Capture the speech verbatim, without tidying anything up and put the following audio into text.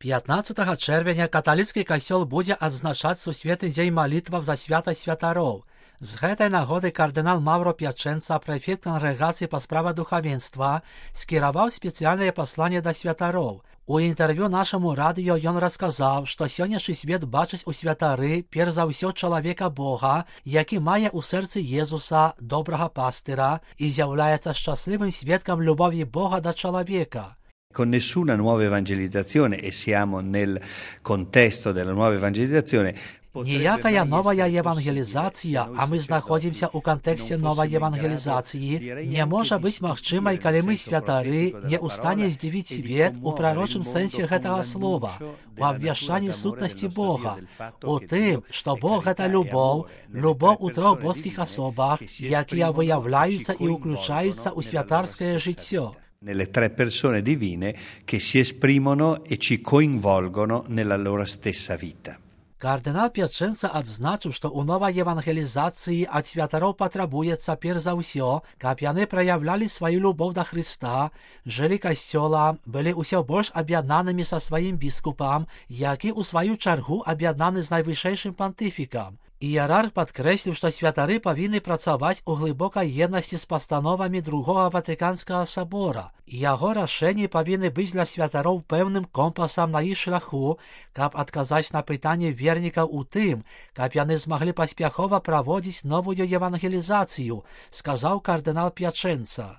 пятнадцатага чэрвеня каталіцкі касцёл будзе адзначаць сусветны дзень малітваў за святасць святароў. З гэтай нагоды кардынал Маўро П'ячэнца, прэфект кангрэгацыі па справах духавенства, скіраваў спецыяльнае пасланне да святароў. У інтэрв'ю нашаму радыё ён расказаў, што сённяшні свет бачыць у святары перш за ўсё чалавека Бога, які мае ў сэрцы Езуса, добрага пастыра, і з'яўляецца шчаслівым сведкам любові Бога да чалавека. Con nessuna nuova evangelizzazione, e siamo nel contesto della nuova evangelizzazione, Ніякая новая евангелізацыя, а мы знаходзімся ў кантэксце новай евангелізацыі, не можа быць магчымай, калі мы святары не ў стане здзівіць свет у прарочым сэнсе гэтага слова, у абвяшчанні сутнасці Бога, у тым, што Бог гэта любоў, любоў у трох боскіх асобах, якія выяўляюцца і ўключаюцца ў святарскае жыццё. Nelle tre persone divine che si esprimono e ci coinvolgono nella loro stessa vita. Кардынал П'ячэнца адзначыў, што ў новай евангелізацыі ад святароў патрабуецца перш за ўсё, каб яны праяўлялі сваю любоў да Хрыста, жылі касцёлам, былі ўсё больш аб'яднанымі са сваім біскупам, які ў сваю чаргу аб'яднаны з найвышэйшым пантыфікам. Іерарх падкрэсліў, што святары павінны працаваць у глыбокай еднасці з пастановамі другога Ватыканскага сабора. Яго рашэнні павінны быць для святароў пэўным компасам на іх шляху, каб адказаць на пытанне вернікаў у тым, каб яны змаглі паспяхова праводзіць новую евангелізацыю, сказаў кардынал П'ячэнца.